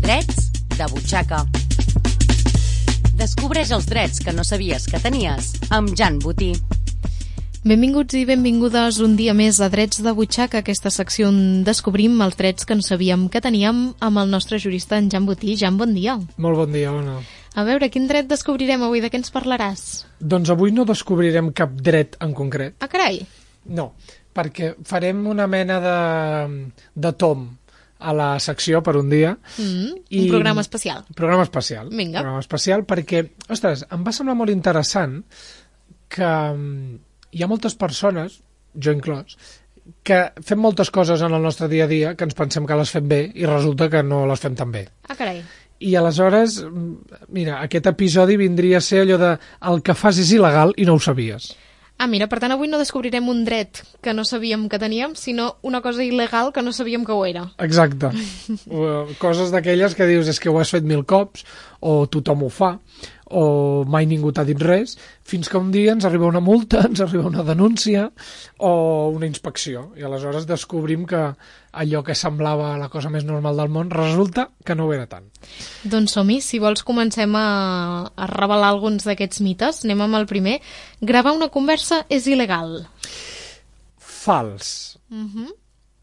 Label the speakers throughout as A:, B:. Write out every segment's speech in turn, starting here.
A: Drets de butxaca. Descobreix els drets que no sabies que tenies amb Jan Botí.
B: Benvinguts i benvingudes un dia més a Drets de butxaca, aquesta secció on descobrim els drets que no sabíem que teníem amb el nostre jurista, en Jan Botí. Jan, bon dia.
C: Molt bon dia, Ona.
B: A veure, quin dret descobrirem avui? De què ens parlaràs?
C: Doncs avui no descobrirem cap dret en concret.
B: Ah, carai!
C: No, perquè farem una mena de tom a la secció per un dia.
B: Un programa especial.
C: Programa especial.
B: Vinga.
C: Programa especial perquè, ostres, em va semblar molt interessant que hi ha moltes persones, jo inclòs, que fem moltes coses en el nostre dia a dia que ens pensem que les fem bé i resulta que no les fem tan bé.
B: Ah, carai.
C: I aleshores, mira, aquest episodi vindria a ser allò de el que fas és il·legal i no ho sabies.
B: Ah, mira, per tant, avui no descobrirem un dret que no sabíem que teníem, sinó una cosa il·legal que no sabíem que ho era.
C: Exacte. Coses d'aquelles que dius és que ho has fet 1000 cops, o tothom ho fa, o mai ningú t'ha dit res, fins que un dia ens arriba una multa, ens arriba una denúncia o una inspecció. I aleshores descobrim que allò que semblava la cosa més normal del món resulta que no ho era tant.
B: Doncs som-hi, si vols comencem a revelar alguns d'aquests mites. Anem amb el primer. Gravar una conversa és il·legal.
C: Fals.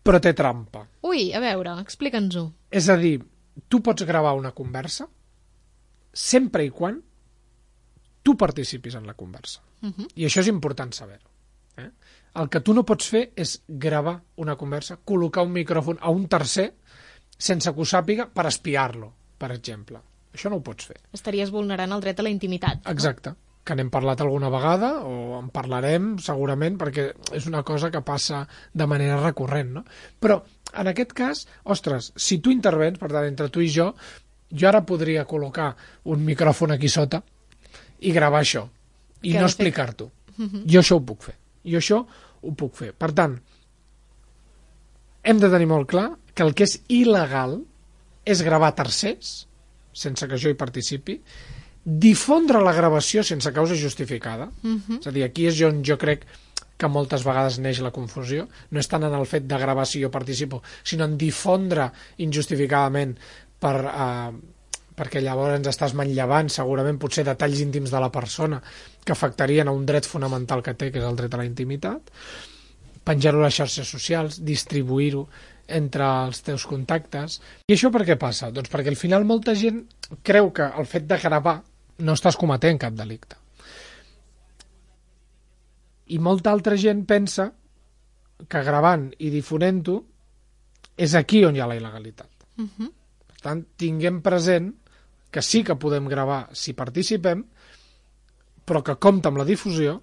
C: Però té trampa.
B: Ui, a veure, explica'ns-ho.
C: És a dir, tu pots gravar una conversa sempre i quan tu participis en la conversa. I això és important saber-ho. El que tu no pots fer és gravar una conversa, col·locar un micròfon a un tercer sense que ho sàpiga per espiar-lo, per exemple. Això no ho pots fer.
B: Estaries vulnerant el dret a la intimitat.
C: Exacte. Que n'hem parlat alguna vegada, o en parlarem segurament, perquè és una cosa que passa de manera recurrent, no? Però, en aquest cas, ostres, si tu intervens, per tant, entre tu i jo ara podria col·locar un micròfon aquí sota i gravar això, i no explicar-t'ho. Jo això ho puc fer. Jo això ho puc fer. Per tant, hem de tenir molt clar que el que és il·legal és gravar tercers, sense que jo hi participi, difondre la gravació sense causa justificada. És a dir, aquí és on jo crec que moltes vegades neix la confusió. No és tant en el fet de gravar si jo participo, sinó en difondre injustificadament perquè llavors ens estàs manllevant segurament potser detalls íntims de la persona que afectarien a un dret fonamental que té, que és el dret a la intimitat, penjar-ho a les xarxes socials, distribuir-ho entre els teus contactes. I això per què passa? Doncs perquè al final molta gent creu que el fet de gravar no estàs cometent cap delicte. I molta altra gent pensa que gravant i difonent-ho és aquí on hi ha la il·legalitat. Per tant, tinguem present que sí que podem gravar si participem, però que compta amb la difusió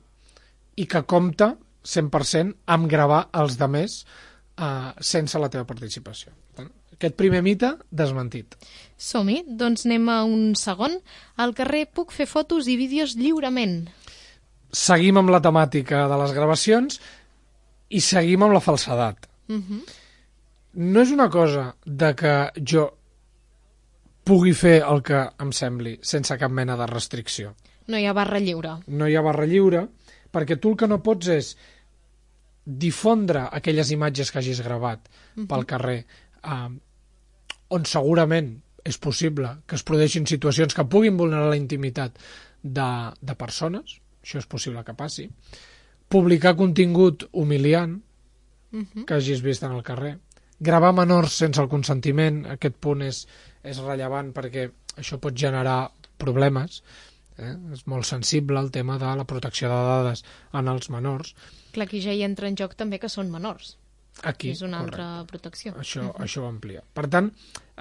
C: i que compta 100% amb gravar els demés sense la teva participació. Aquest primer mite, desmentit.
B: Som-hi, doncs anem a un segon. Al carrer puc fer fotos i vídeos lliurement.
C: Seguim amb la temàtica de les gravacions i seguim amb la falsedat. No és una cosa de que jo pugui fer el que em sembli sense cap mena de restricció.
B: No hi ha barra lliure.
C: No hi ha barra lliure, perquè tu el que no pots és difondre aquelles imatges que hagis gravat pel carrer, on segurament és possible que es produeixin situacions que puguin vulnerar la intimitat de persones, això és possible que passi, publicar contingut humiliant que hagis vist en el carrer, gravar menors sense el consentiment, aquest punt és rellevant perquè això pot generar problemes, és molt sensible el tema de la protecció de dades en els menors.
B: Clar, aquí ja hi entra en joc també que són menors.
C: Aquí,
B: és una altra protecció.
C: Això ho amplia. Per tant,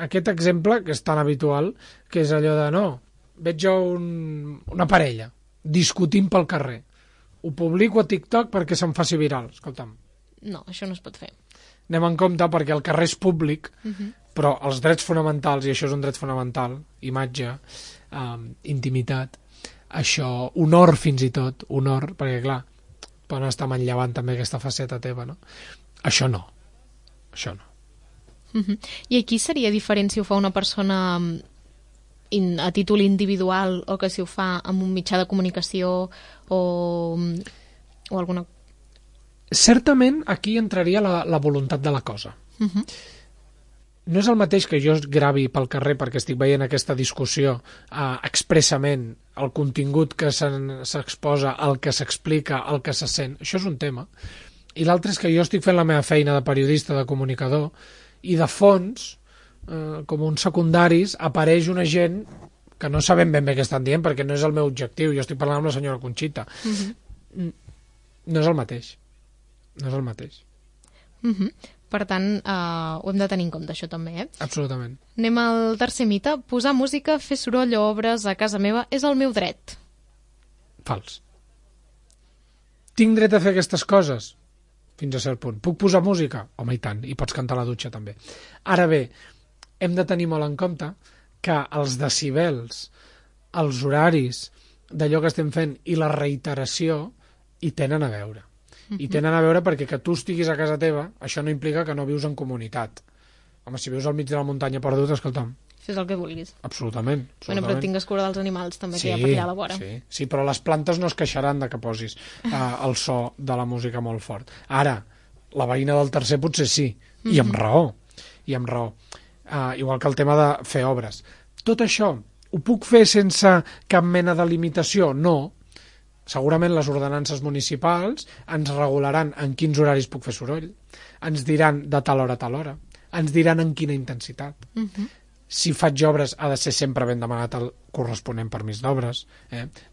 C: aquest exemple que és tan habitual, que és allò de no, veig jo una parella discutint pel carrer, ho publico a TikTok perquè se'm faci viral. Escolta'm.
B: No, això no es pot fer.
C: Anem en compte perquè el carrer és públic, però els drets fonamentals, i això és un dret fonamental, imatge, intimitat, això, honor fins i tot, honor, perquè clar, poden estar manllevant també aquesta faceta teva, no? Això no.
B: I aquí seria diferent si ho fa una persona a títol individual o que si ho fa amb un mitjà de comunicació o alguna...
C: Certament aquí entraria la voluntat de la cosa. no és el mateix que jo gravi pel carrer perquè estic veient aquesta discussió expressament, el contingut que s'exposa, el que s'explica, el que se sent. Això és un tema. I l'altre és que jo estic fent la meva feina de periodista, de comunicador, i de fons, com uns secundaris, apareix una gent que no sabem ben bé què estan dient perquè no és el meu objectiu. Jo estic parlant amb la senyora Conxita. No és el mateix. No és el mateix.
B: Per tant, ho hem de tenir en compte, això també,
C: Absolutament.
B: Anem al tercer mite. Posar música, fer soroll o obres a casa meva és el meu dret.
C: Fals. Tinc dret a fer aquestes coses? Fins a cert punt. Puc posar música? Home, i tant. I pots cantar a la dutxa, també. Ara bé, hem de tenir molt en compte que els decibels, els horaris d'allò que estem fent i la reiteració hi tenen a veure. I tenen a veure perquè que tu estiguis a casa teva, això no implica que no vius en comunitat. Home, si vius al mig de la muntanya perdut, escolta'm.
B: Fes el que vulguis.
C: Absolutament.
B: Bueno, però tingues cura dels animals també, que hi ha per allà a la vora.
C: Sí, però les plantes no es queixaran de que posis el so de la música molt fort. Ara, la veïna del tercer potser sí, i amb raó. I amb raó. Igual que el tema de fer obres. Tot això, ho puc fer sense cap mena de limitació? No. Segurament les ordenances municipals ens regularan en quins horaris puc fer soroll, ens diran de tal hora a tal hora, ens diran en quina intensitat. Si faig obres ha de ser sempre ben demanat el corresponent permís d'obres.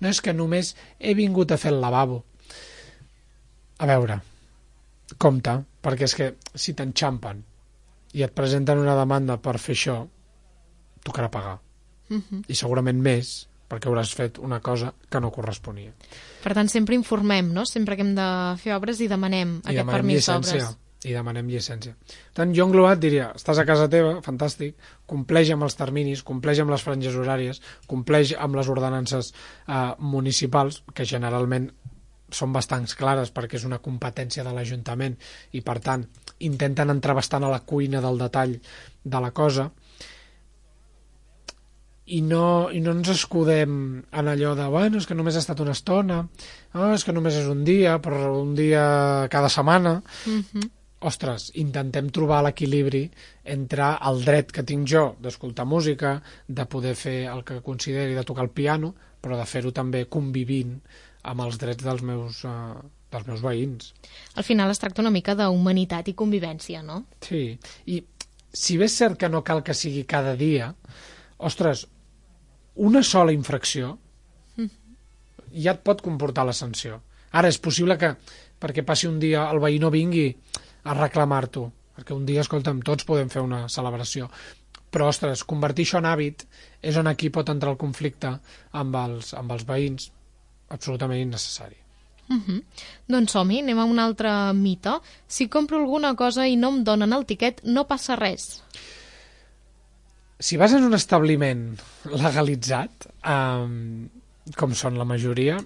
C: No és que només he vingut a fer el lavabo. A veure, compte, perquè és que si t'enxampen i et presenten una demanda per fer això, tocarà pagar. I segurament més, perquè hauràs fet una cosa que no corresponia.
B: Per tant, sempre informem, no? Sempre que hem de fer obres i demanem aquest permís d'obres.
C: I demanem llicència. Per tant, jo englobat diria, estàs a casa teva, fantàstic, compleix amb els terminis, compleix amb les franges horàries, compleix amb les ordenances municipals, que generalment són bastant clares perquè és una competència de l'Ajuntament i, per tant, intenten entrar bastant a la cuina del detall de la cosa, i no ens escudem en allò de, bueno, és que només ha estat una estona, és que només és un dia, però un dia cada setmana. Ostres, intentem trobar l'equilibri entre el dret que tinc jo d'escoltar música, de poder fer el que consideri de tocar el piano, però de fer-ho també convivint amb els drets dels meus veïns.
B: Al final es tracta una mica d'humanitat i convivència, no?
C: Sí, i si bé és cert que no cal que sigui cada dia, ostres, una sola infracció ja et pot comportar la sanció. Ara, és possible que perquè passi un dia el veí no vingui a reclamar-t'ho, perquè un dia, escolta'm, tots podem fer una celebració. Però, ostres, convertir això en hàbit és on aquí pot entrar el conflicte amb els veïns, absolutament innecessari.
B: Doncs som-hi, anem a un altre mite. Si compro alguna cosa i no em donen el tiquet, no passa res.
C: Si vas en un establiment legalitzat, com són la majoria,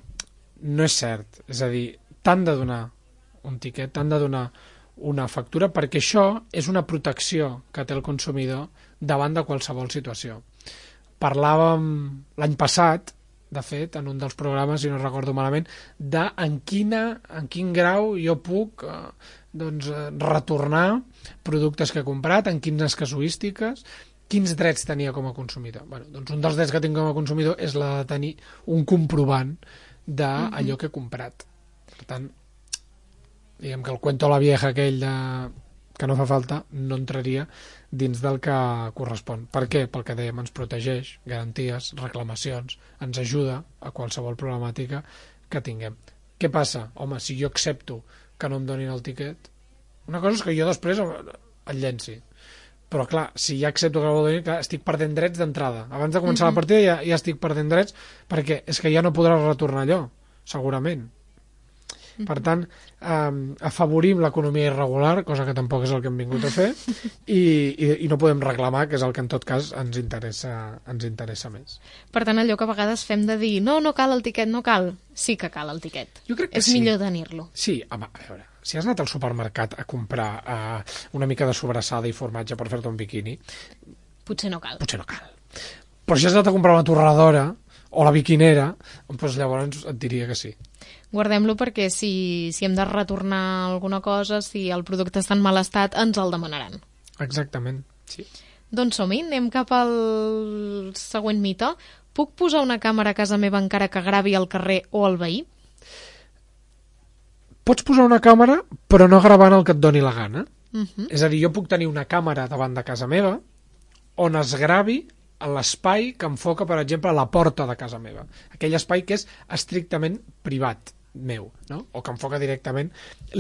C: no és cert. És a dir, t'han de donar un tiquet, t'han de donar una factura, perquè això és una protecció que té el consumidor davant de qualsevol situació. Parlàvem l'any passat, de fet, en un dels programes, si no recordo malament, de en quin grau jo puc retornar productes que he comprat, en quines casuístiques, quins drets tenia com a consumidor. Doncs un dels drets que tinc com a consumidor és la de tenir un comprovant d'allò que he comprat. Per tant, diguem que el cuento a la vieja aquell que no fa falta no entraria dins del que correspon. Per què? Pel que dèiem, ens protegeix, garanties, reclamacions, ens ajuda a qualsevol problemàtica que tinguem. Què passa? Home, si jo accepto que no em donin el tiquet, una cosa és que jo després el llenci. Però, clar, si ja accepto que no vol dir, clar, estic perdent drets d'entrada. Abans de començar la partida ja estic perdent drets perquè és que ja no podràs retornar allò, segurament. Per tant, afavorim l'economia irregular, cosa que tampoc és el que hem vingut a fer, i no podem reclamar, que és el que en tot cas ens interessa més.
B: Per tant, allò que a vegades fem de dir no cal el tiquet, no cal, sí que cal el tiquet.
C: Jo crec que
B: és millor tenir-lo.
C: Sí, home, a veure, si has anat al supermercat a comprar una mica de sobrassada i formatge per fer-te un biquini...
B: Potser no cal.
C: Però si has anat a comprar una torradora o la biquinera, doncs llavors et diria que sí.
B: Guardem-lo perquè si hem de retornar alguna cosa, si el producte està en mal estat, ens el demanaran.
C: Exactament. Sí.
B: Doncs som-hi, anem cap al següent mite. Puc posar una càmera a casa meva encara que gravi al carrer o al veí?
C: Pots posar una càmera, però no gravant el que et doni la gana. És a dir, jo puc tenir una càmera davant de casa meva on es gravi a l'espai que enfoca, per exemple, la porta de casa meva. Aquell espai que és estrictament privat meu, no? O que enfoca directament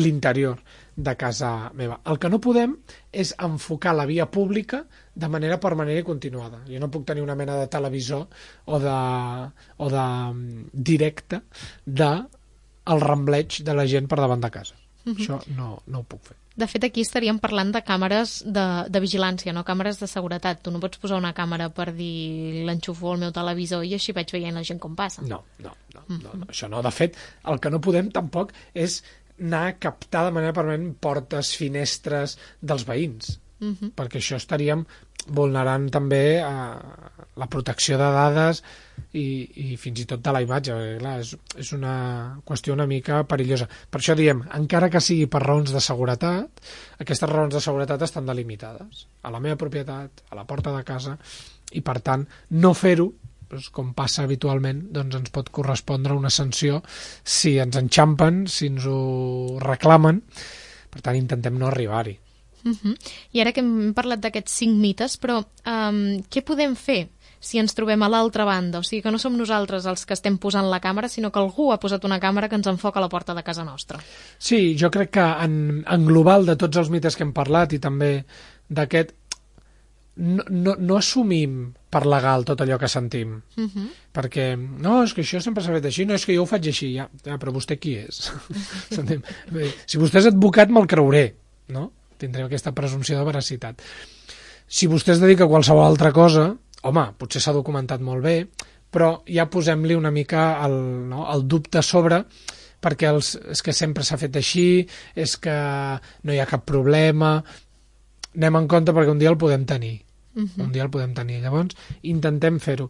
C: l'interior de casa meva. El que no podem és enfocar la via pública de manera permanent i continuada. Jo no puc tenir una mena de televisor o de directe del rembleig de la gent per davant de casa. Això no ho puc fer.
B: De fet, aquí estaríem parlant de càmeres de vigilància, no càmeres de seguretat. Tu no pots posar una càmera per dir l'enxufo al meu televisor i així vaig veient la gent com passa.
C: No, això no. De fet, el que no podem tampoc és anar a captar de manera permanent portes, finestres dels veïns, perquè això estaríem vulnerant també la protecció de dades i fins i tot de la imatge, perquè clar, és una qüestió una mica perillosa. Per això diem, encara que sigui per raons de seguretat, aquestes raons de seguretat estan delimitades a la meva propietat, a la porta de casa, i per tant no fer-ho, doncs, com passa habitualment, doncs ens pot correspondre una sanció si ens enxampen, si ens ho reclamen. Per tant, intentem no arribar-hi.
B: I ara que hem parlat d'aquests 5 mites, però què podem fer si ens trobem a l'altra banda? O sigui, que no som nosaltres els que estem posant la càmera, sinó que algú ha posat una càmera que ens enfoca a la porta de casa nostra.
C: Sí, jo crec que en global de tots els mites que hem parlat i també d'aquest, no assumim per legal tot allò que sentim. Perquè, no, és que això sempre s'ha fet així, no, és que jo ho faig així, ja però vostè qui és? Si vostè és advocat me'l creuré, no? Tindrem aquesta presumpció de veracitat. Si vostè es dedica a qualsevol altra cosa, home, potser s'ha documentat molt bé, però ja posem-li una mica el dubte a sobre, perquè és que sempre s'ha fet així, és que no hi ha cap problema, anem en compte perquè un dia el podem tenir. Un dia el podem tenir. Llavors, intentem fer-ho.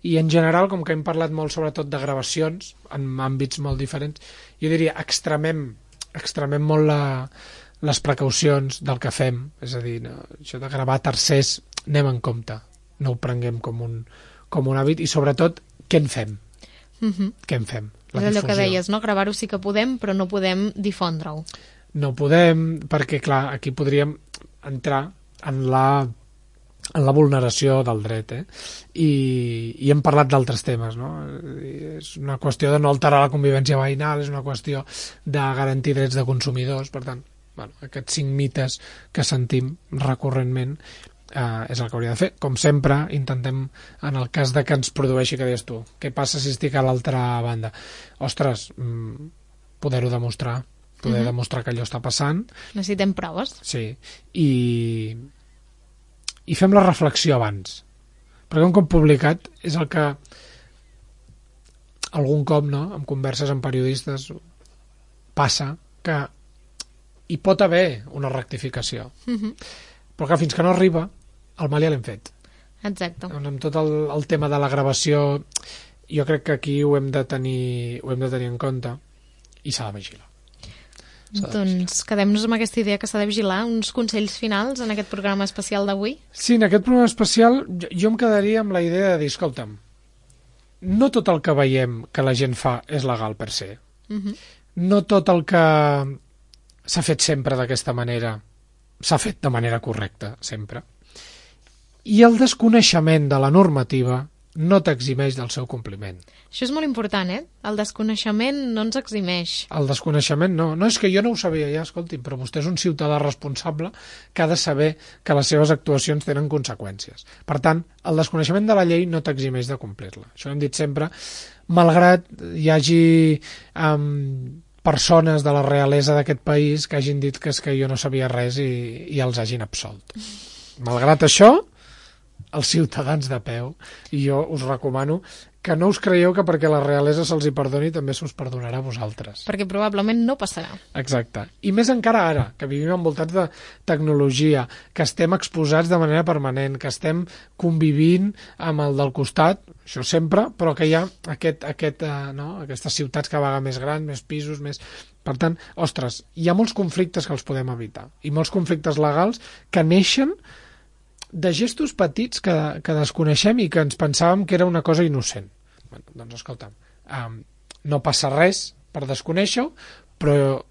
C: I en general, com que hem parlat molt sobretot de gravacions, en àmbits molt diferents, jo diria, extremem molt les precaucions del que fem, és a dir, això de gravar tercers, anem en compte, no ho prenguem com un hàbit, i sobretot, què en fem? Què en fem?
B: És allò que deies, no? Gravar-ho sí que podem, però no podem difondre-ho.
C: No podem, perquè, clar, aquí podríem entrar en la vulneració del dret, i hem parlat d'altres temes, no? És una qüestió de no alterar la convivència veïnal, és una qüestió de garantir drets de consumidors, per tant, aquests 5 mites que sentim recurrentment és el que hauria de fer. Com sempre, intentem, en el cas de que ens produeixi, que deies tu, què passa si estic a l'altra banda? Ostres, poder-ho demostrar, demostrar que allò està passant.
B: Necessitem proves.
C: Sí, i fem la reflexió abans, perquè un cop publicat és el que algun cop, no, en converses amb periodistes passa que hi pot haver una rectificació, però que fins que no arriba el mal ja l'hem fet.
B: Exacte.
C: Doncs amb tot el tema de la gravació jo crec que aquí ho hem de tenir en compte i s'ha de vigilar.
B: Doncs quedem-nos amb aquesta idea que s'ha de vigilar. Uns consells finals en aquest programa especial d'avui?
C: Sí, en aquest programa especial jo em quedaria amb la idea de dir, escolta'm, no tot el que veiem que la gent fa és legal per se. No tot el que s'ha fet sempre d'aquesta manera s'ha fet de manera correcta, sempre. I el desconeixement de la normativa no t'eximeix del seu compliment.
B: Això és molt important, El desconeixement no ens eximeix.
C: El desconeixement no. No, és que jo no ho sabia ja, escolti'm, però vostè és un ciutadà responsable que ha de saber que les seves actuacions tenen conseqüències. Per tant, el desconeixement de la llei no t'eximeix de complir-la. Això ho hem dit sempre, malgrat hi hagi persones de la realesa d'aquest país que hagin dit que és que jo no sabia res i els hagin absolt. Malgrat això, els ciutadans de peu, i jo us recomano que no us creieu que perquè la realesa se'ls hi perdoni també s'us perdonarà a vosaltres.
B: Perquè probablement no passarà.
C: Exacte. I més encara ara, que vivim envoltats de tecnologia, que estem exposats de manera permanent, que estem convivint amb el del costat, això sempre, però que hi ha aquestes ciutats cada vegada més grans, més pisos, més... Per tant, ostres, hi ha molts conflictes que els podem evitar, i molts conflictes legals que neixen de gestos petits que desconeixem i que ens pensàvem que era una cosa innocent. Bueno, doncs escolta'm, no passa res per desconèixer-ho, però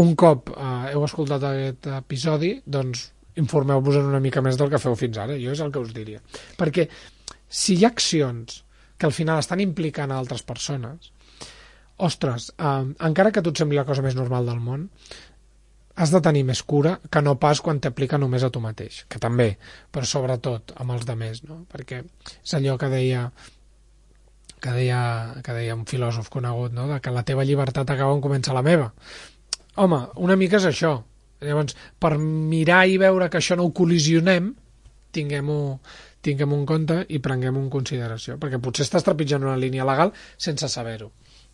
C: un cop heu escoltat aquest episodi, doncs informeu-vos una mica més del que feu fins ara. Jo és el que us diria. Perquè si hi ha accions que al final estan implicant a altres persones, ostres, encara que a tu et sembli la cosa més normal del món, has de tenir més cura que no pas quan t'aplica només a tu mateix, que també, però sobretot amb els demés, no? Perquè és allò que deia un filòsof conegut, no? De que la teva llibertat acaba on comença la meva. Home, una mica és això. Llavors, per mirar i veure que això no ho col·lisionem, tinguem-ho en compte i prenguem-ho en consideració, perquè potser estàs trepitjant una línia legal sense saber-ho.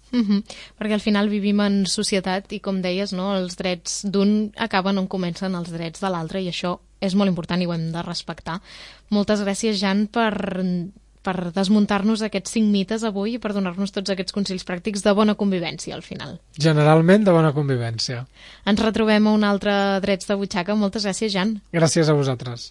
B: Perquè al final vivim en societat i, com deies, no, els drets d'un acaben on comencen els drets de l'altre, i això és molt important i ho hem de respectar. Moltes gràcies, Jan, per desmuntar-nos aquests 5 mites avui i per donar-nos tots aquests consells pràctics de bona convivència al final.
C: Generalment de bona convivència.
B: Ens retrobem a un altre Drets de Butxaca. Moltes gràcies, Jan.
C: Gràcies a vosaltres.